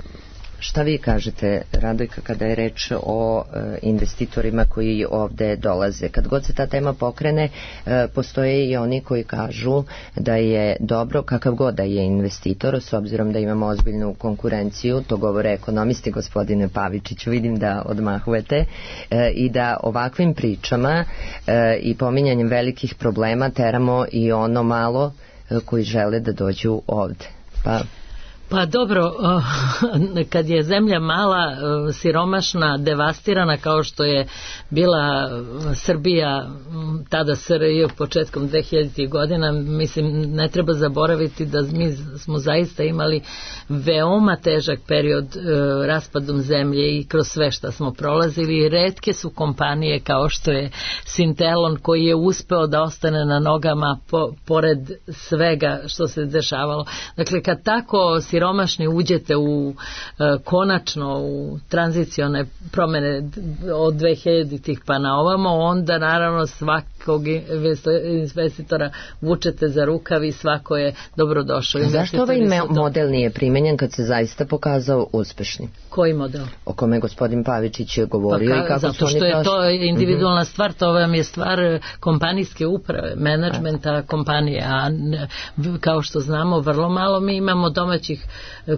Šta vi kažete, Radojka, kada je reč o e, investitorima koji ovde dolaze? Kad god se ta tema pokrene, e, postoje i oni koji kažu da je dobro, kakav god da je investitor, s obzirom da imamo ozbiljnu konkurenciju, to govore ekonomisti, gospodine Pavičiću, vidim da odmahujete, e, i da ovakvim pričama e, i pominjanjem velikih problema teramo i ono malo e, koji žele da dođu ovde. Pa... Pa dobro, kad je zemlja mala, siromašna, devastirana kao što je bila Srbija, tada S R J početkom dvehiljaditih godina, mislim, ne treba zaboraviti da mi smo zaista imali veoma težak period raspadom zemlje i kroz sve što smo prolazili. Retke su kompanije kao što je Sintelon koji je uspeo da ostane na nogama po, pored svega što se dešavalo. Dakle, kad tako siromašni uđete u e, konačno u tranzicione promene od dvehiljaditih pa na ovamo, onda naravno svak, svakog investitora vučete za rukav i svako je dobrodošao. Zašto ovaj model nije primenjen kad se zaista pokazao uspešnim? Koji model? O kome gospodin Pavičić je govorio pa, i kako zato su oni što je prošli. to individualna mm-hmm. stvar, to vam je stvar kompanijske uprave, menadžmenta kompanije, a kao što znamo vrlo malo mi imamo domaćih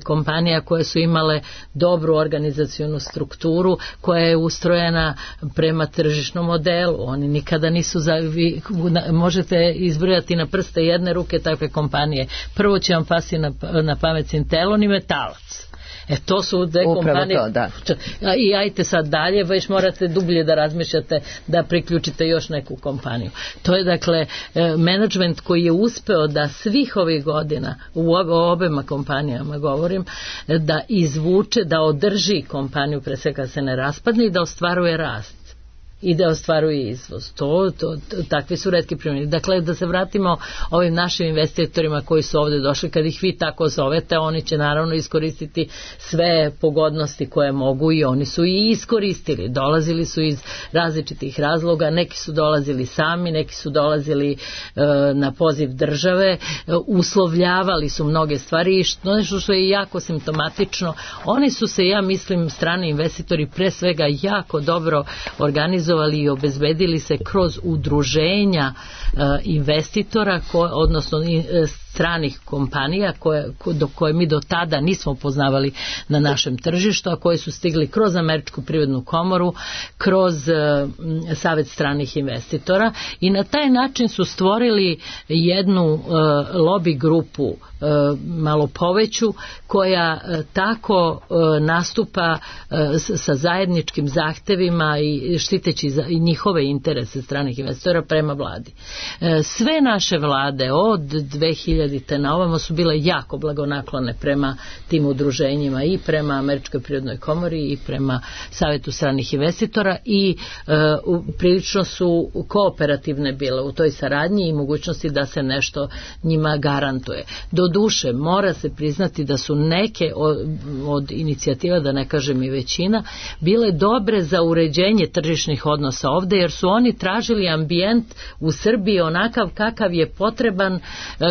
kompanija koje su imale dobru organizacionu strukturu koja je ustrojena prema tržišnom modelu. Oni nikada nisu za, vi, možete izbrojati na prste jedne ruke takve kompanije. Prvo će vam pasti na, na pamet Sintelon i Metalac. E to su dve kompanije. To, da. I ajte sad dalje, već morate dublje da razmišljate da priključite još neku kompaniju. To je dakle menadžment koji je uspeo da svih ovih godina u obema kompanijama govorim, da izvuče, da održi kompaniju pre svega se ne raspadne i da ostvaruje rast i da ostvaruje izvoz. To, to, to, takvi su retki primjeri. Dakle, da se vratimo ovim našim investitorima koji su ovde došli, kad ih vi tako zovete, oni će naravno iskoristiti sve pogodnosti koje mogu i oni su i iskoristili. Dolazili su iz različitih razloga, neki su dolazili sami, neki su dolazili e, na poziv države, e, uslovljavali su mnoge stvari i što, nešto što je jako simptomatično, oni su se, ja mislim, strani investitori pre svega jako dobro organizovali i obezbedili se kroz udruženja uh, investitora, ko, odnosno uh, stranih kompanija koje, ko, do koje mi do tada nismo poznavali na našem tržištu, a koje su stigli kroz Američku privrednu komoru, kroz uh, Savet stranih investitora i na taj način su stvorili jednu uh, lobby grupu uh, malo poveću koja uh, tako uh, nastupa uh, sa zajedničkim zahtevima i štiteći za, i njihove interese stranih investitora prema vladi. Uh, sve naše vlade od dve hiljadite na ovamo su bile jako blagonaklone prema tim udruženjima i prema Američkoj prirodnoj komori i prema Savetu stranih investitora i uh, prilično su kooperativne bile u toj saradnji i mogućnosti da se nešto njima garantuje. Do duše mora se priznati da su neke od, od inicijativa, da ne kažem i većina, bile dobre za uređenje tržišnih odnosa ovde, jer su oni tražili ambijent u Srbiji onakav kakav je potreban,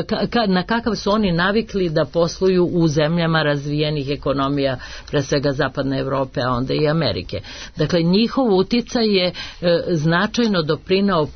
ka, ka, na kakav su oni navikli da posluju u zemljama razvijenih ekonomija, pre svega Zapadne Evrope, a onda i Amerike. Dakle, njihov uticaj je e, značajno doprinao e,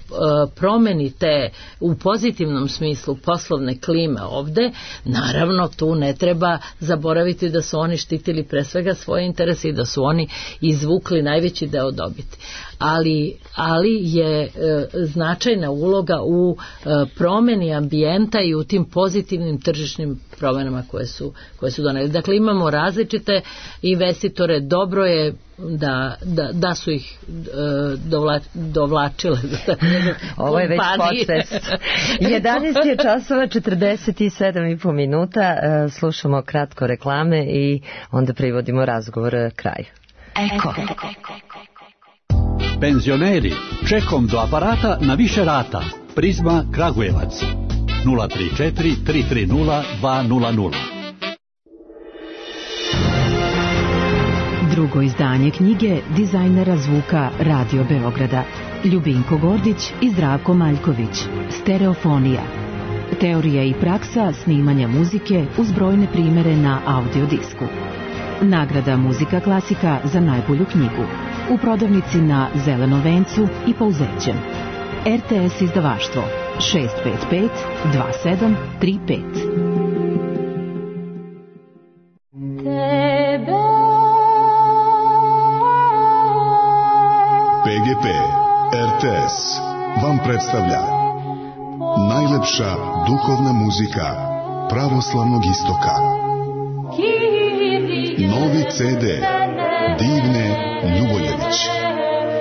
promeni te u pozitivnom smislu poslovne klime ovde. Naravno, tu ne treba zaboraviti da su oni štitili pre svega svoje interese i da su oni izvukli najveći deo dobiti. Ali, ali je e, značajna uloga u e, promeni ambijenta i u tim pozitivnim tržišnim promenama koje su, koje su doneli. Dakle, imamo različite investitore, dobro je da, da, da su ih e, dovla, dovlačile. Ovo je već podcast. jedanaest je časova četrdeset sedam i po minuta, e, slušamo kratko reklame i onda privodimo razgovor kraju. Eko. Penzioneri, čekom do aparata na više rata. Prizma Kragujevac nula tri četiri tri tri nula dva nula nula. Drugo izdanje knjige dizajnera zvuka Radio Beograda Ljubinko Gordić i Zdravko Maljković. Stereofonija. Teorija i praksa snimanja muzike uz brojne primere na audiodisku. Nagrada Muzika klasika za najbolju knjigu. U prodavnici na Zelenom vencu i Pouzećem. R T S izdavaštvo šest pet pet dva sedam tri pet. P G P R T S vam predstavlja najlepša duhovna muzika pravoslavnog istoka. Novi C D Divne Ljuboljević.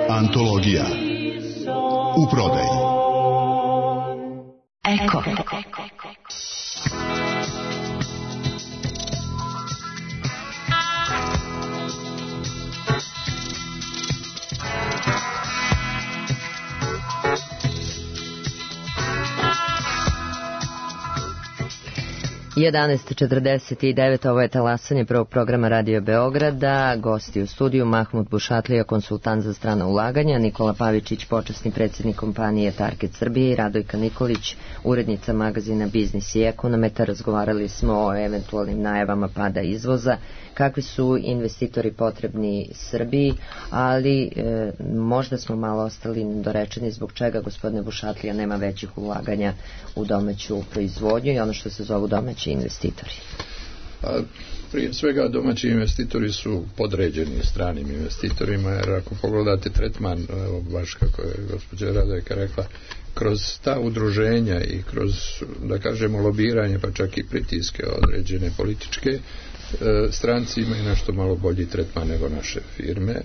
Antologija. U prodaji. Eko. jedanaest četrdeset devet, ovo je talasanje prvog programa Radio Beograda. Gosti u studiju Mahmud Bušatlija, konsultant za strana ulaganja, Nikola Pavičić, počasni predsjednik kompanije Target Srbije i Radojka Nikolić, urednica magazina Biznis i Ekonometa. Razgovarali smo o eventualnim najavama pada izvoza, kakvi su investitori potrebni Srbiji, ali e, možda smo malo ostali nedorečeni zbog čega, gospodine Bušatlija, nema većih ulaganja u domaću proizvodnju i ono što se zovu domaći investitori. A, prije svega domaći investitori su podređeni stranim investitorima, jer ako pogledate tretman, evo, baš kako je gospođa Radojka rekla, kroz ta udruženja i kroz, da kažemo, lobiranje, pa čak i pritiske određene političke, stranci imaju nešto malo bolji tretman nego naše firme.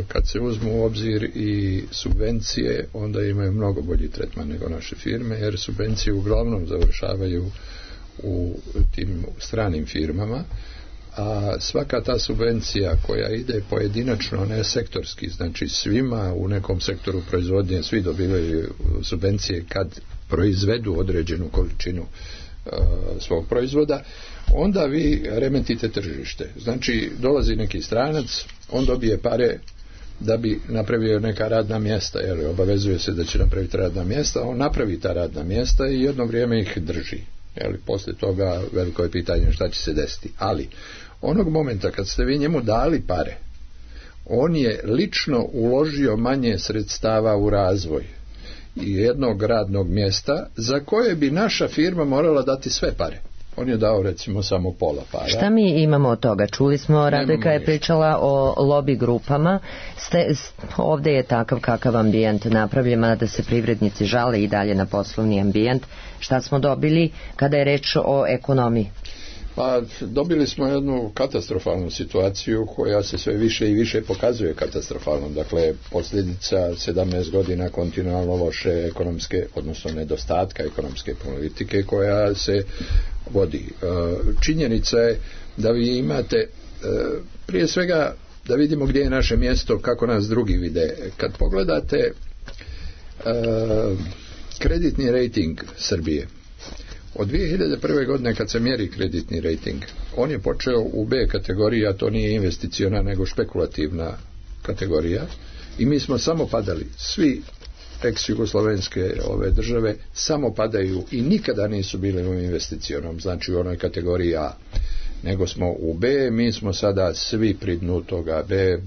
Kad se uzmu u obzir i subvencije, onda imaju mnogo bolji tretman nego naše firme, jer subvencije uglavnom završavaju u tim stranim firmama, a svaka ta subvencija koja ide pojedinačno, ne sektorski, znači svima u nekom sektoru proizvodnje, svi dobivaju subvencije kad proizvedu određenu količinu uh, svog proizvoda, onda vi remetite tržište. Znači dolazi neki stranac, on dobije pare da bi napravio neka radna mjesta, jer obavezuje se da će napraviti radna mjesta, on napravi ta radna mjesta i jedno vrijeme ih drži. Jel, poslije toga veliko je pitanje šta će se desiti. Ali onog momenta kad ste vi njemu dali pare, on je lično uložio manje sredstava u razvoj i jednog radnog mjesta za koje bi naša firma morala dati sve pare. On je dao recimo samo pola para. Šta mi imamo od toga? Čuli smo, Radojka je pričala o lobby grupama. Ste, ovdje je takav kakav ambijent napravljen, da se privrednici žale i dalje na poslovni ambijent. Šta smo dobili kada je reč o ekonomiji? Pa dobili smo jednu katastrofalnu situaciju koja se sve više i više pokazuje katastrofalnom. Dakle, posljedica sedamnaest godina kontinualno loše ekonomske, odnosno nedostatka ekonomske politike koja se vodi. Činjenica je da vi imate, prije svega da vidimo gdje je naše mjesto, kako nas drugi vide. Kad pogledate kreditni rating Srbije, od dvije hiljade prve godine kad se mjeri kreditni rating, on je počeo u B kategoriji, a to nije investiciona nego špekulativna kategorija, i mi smo samo padali. Svi ex-jugoslovenske ove države samo padaju i nikada nisu bili u investicionom, znači u onoj kategoriji A, nego smo u B. Mi smo sada svi pri dnu toga B,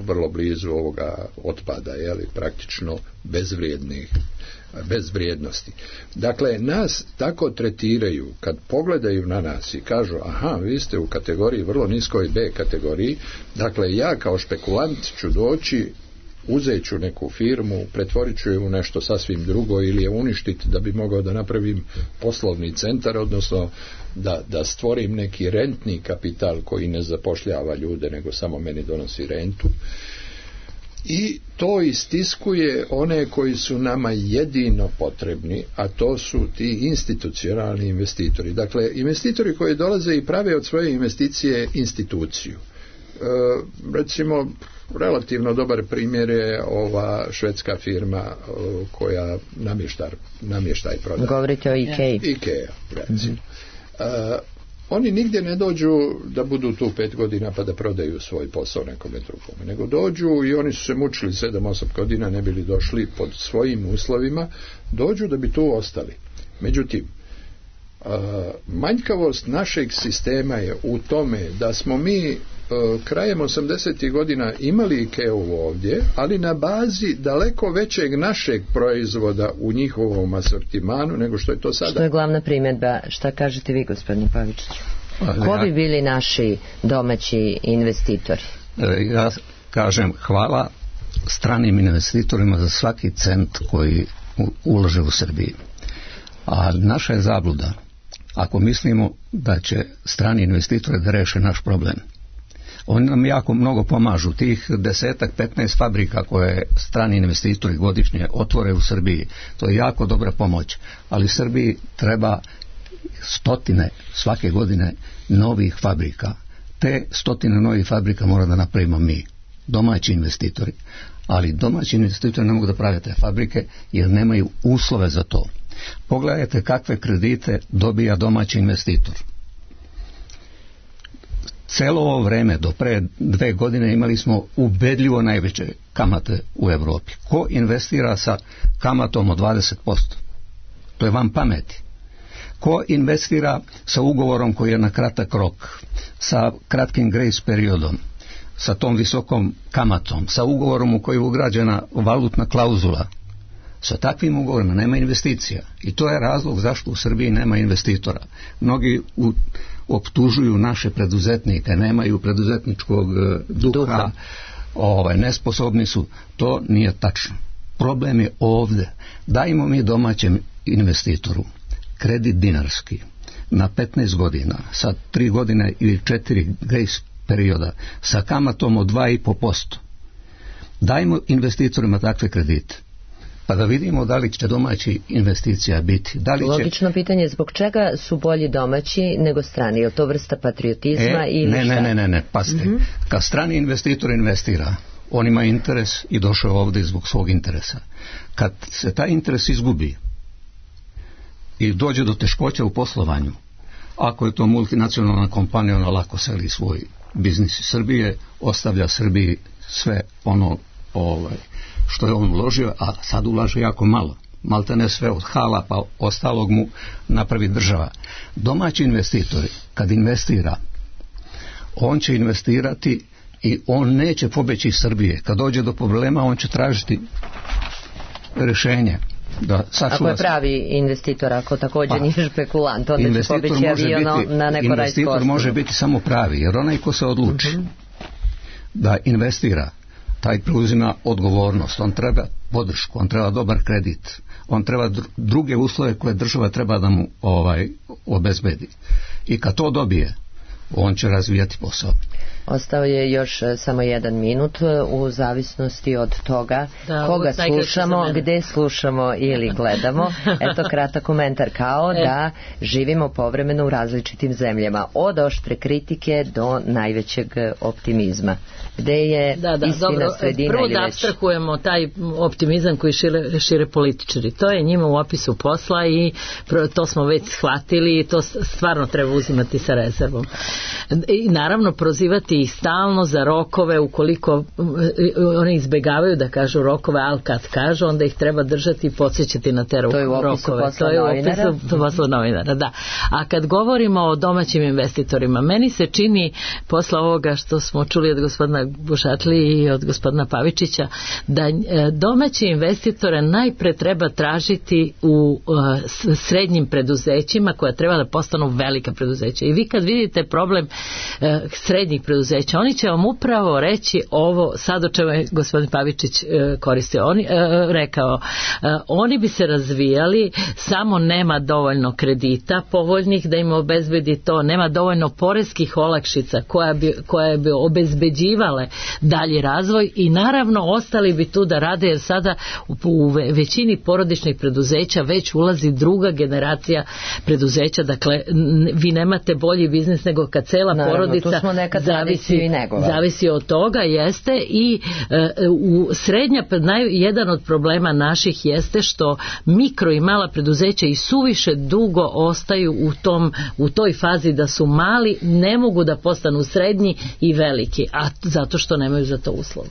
vrlo blizu ovoga otpada, jeli, praktično bezvrijednih, bez vrijednosti. Dakle, nas tako tretiraju kad pogledaju na nas i kažu, aha, vi ste u kategoriji vrlo niskoj B kategoriji, dakle ja kao špekulant ću doći, uzet ću neku firmu, pretvorit ću je u nešto sasvim drugo ili je uništiti da bi mogao da napravim poslovni centar, odnosno da, da stvorim neki rentni kapital koji ne zapošljava ljude nego samo meni donosi rentu. I to istiskuje one koji su nama jedino potrebni, a to su ti institucionalni investitori. Dakle, investitori koji dolaze i prave od svoje investicije instituciju. E, recimo, relativno dobar primjer je ova švedska firma o, koja namještaj, namještaj prodaje. Govorite o Ikei. Ikea, recimo. Mm-hmm. E, Oni nigdje ne dođu da budu tu pet godina pa da prodaju svoj posao nekome drugome, nego dođu i oni su se mučili sedam, osam godina, ne bili došli pod svojim uslovima, dođu da bi tu ostali. Međutim, manjkavost našeg sistema je u tome da smo mi krajem osamdesetih godina imali Ikeu ovdje, ali na bazi daleko većeg našeg proizvoda u njihovom asortimanu nego što je to sada. Što je glavna primjedba? Šta kažete vi, gospodin Pavičić? Ko bi bili naši domaći investitori? Ja kažem hvala stranim investitorima za svaki cent koji ulože u Srbiji. A naša je zabluda ako mislimo da će strani investitori da reše naš problem. Oni nam jako mnogo pomažu. Tih desetak, petnaest fabrika koje strani investitori godišnje otvore u Srbiji, to je jako dobra pomoć. Ali Srbiji treba stotine svake godine novih fabrika. Te stotine novih fabrika mora da napravimo mi, domaći investitori. Ali domaći investitori ne mogu da prave te fabrike jer nemaju uslove za to. Pogledajte kakve kredite dobija domaći investitor. Celo ovo vreme, do pre dve godine, imali smo ubedljivo najveće kamate u Evropi. Ko investira sa kamatom od dvadeset posto? To je van pameti. Ko investira sa ugovorom koji je na kratak rok, sa kratkim grace periodom, sa tom visokom kamatom, sa ugovorom u koji je ugrađena valutna klauzula, sa takvim ugovorima nema investicija. I to je razlog zašto u Srbiji nema investitora. Mnogi u, optužuju naše preduzetnike, nemaju preduzetničkog duha, duha. Ovaj, nesposobni su. To nije tačno. Problem je ovde. Dajmo mi domaćem investitoru kredit dinarski na petnaest godina, sa tri godine ili četiri grace perioda, sa kamatom od dva i po posto. Dajmo investitorima takve kredite, pa da vidimo da li će domaći investicija biti. Da li će... Logično pitanje je zbog čega su bolji domaći nego strani? Je li to vrsta patriotizma e, ili ne, šta? Ne, ne, ne, ne, pazite. Mm-hmm. Kad strani investitor investira, on ima interes i došao ovdje zbog svog interesa. Kad se taj interes izgubi i dođe do teškoća u poslovanju, ako je to multinacionalna kompanija, ona lako seli svoj biznis iz Srbije, ostavlja Srbiji sve ono ovaj, što je on uložio, a sad ulaže jako malo. Malte ne sve od hala, pa ostalog mu napravi država. Domaći investitori, kad investira, on će investirati i on neće pobeći iz Srbije. Kad dođe do problema, on će tražiti rješenje. Da, ako je pravi investitor, ako također pa, nije špekulant, onda će pobeći aviono na neko rajsko investitor ostrvo. Može biti samo pravi, jer onaj ko se odluči uh-huh. da investira, taj preuzima odgovornost, on treba podršku, on treba dobar kredit, on treba druge uslove koje država treba da mu ovaj, obezbedi. I kad to dobije, on će razvijati posao. Ostao je još samo jedan minut u zavisnosti od toga da, koga slušamo, gde slušamo ili gledamo. Eto kratak komentar, kao e. da živimo povremeno u različitim zemljama, od oštre kritike do najvećeg optimizma. Gde je da, da, istina dobro, sredina? Prvo ili da već... apstrahujemo taj optimizam koji šire, šire političari. To je njima u opisu posla i to smo već shvatili i to stvarno treba uzimati sa rezervom. I naravno prozivati i stalno za rokove, ukoliko oni izbegavaju da kažu rokove, ali kad kažu, onda ih treba držati i podsjećati na te rokove. To je u opisu posla novinara. To je u opisu posla novinara, da. A kad govorimo o domaćim investitorima, meni se čini, posle ovoga što smo čuli od gospodina Bušatli i od gospodina Pavičića, da domaći investitore najpre treba tražiti u srednjim preduzećima koja treba da postanu velika preduzeća. I vi kad vidite problem srednjih preduzeća, oni će vam upravo reći ovo, sad o čemu je gospodin Pavičić koristio, on, rekao, oni bi se razvijali, samo nema dovoljno kredita povoljnih da im obezbedi to, nema dovoljno poreskih olakšica koja bi, koja bi obezbeđivale dalji razvoj i naravno ostali bi tu da rade, jer sada u, u većini porodičnih preduzeća već ulazi druga generacija preduzeća, dakle vi nemate bolji biznis nego kad cela naravno, porodica zavisi, zavisi od toga, jeste i e, u srednja, naj, jedan od problema naših jeste što mikro i mala preduzeća i suviše dugo ostaju u, tom, u toj fazi da su mali, ne mogu da postanu srednji i veliki, a zato što nemaju za to uslova.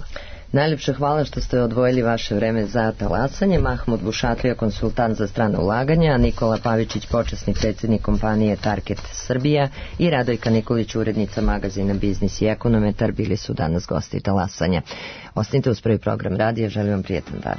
Najljepše hvala što ste odvojili vaše vreme za talasanje. Mahmud Bušatlija, konsultant za strana ulaganja, Nikola Pavičić, počasni predsjednik kompanije Target Srbija i Radojka Nikolić, urednica magazina Biznis i ekonometar, bili su danas gosti talasanja. Ostanite uz prvi program radija, želim vam prijetan dan.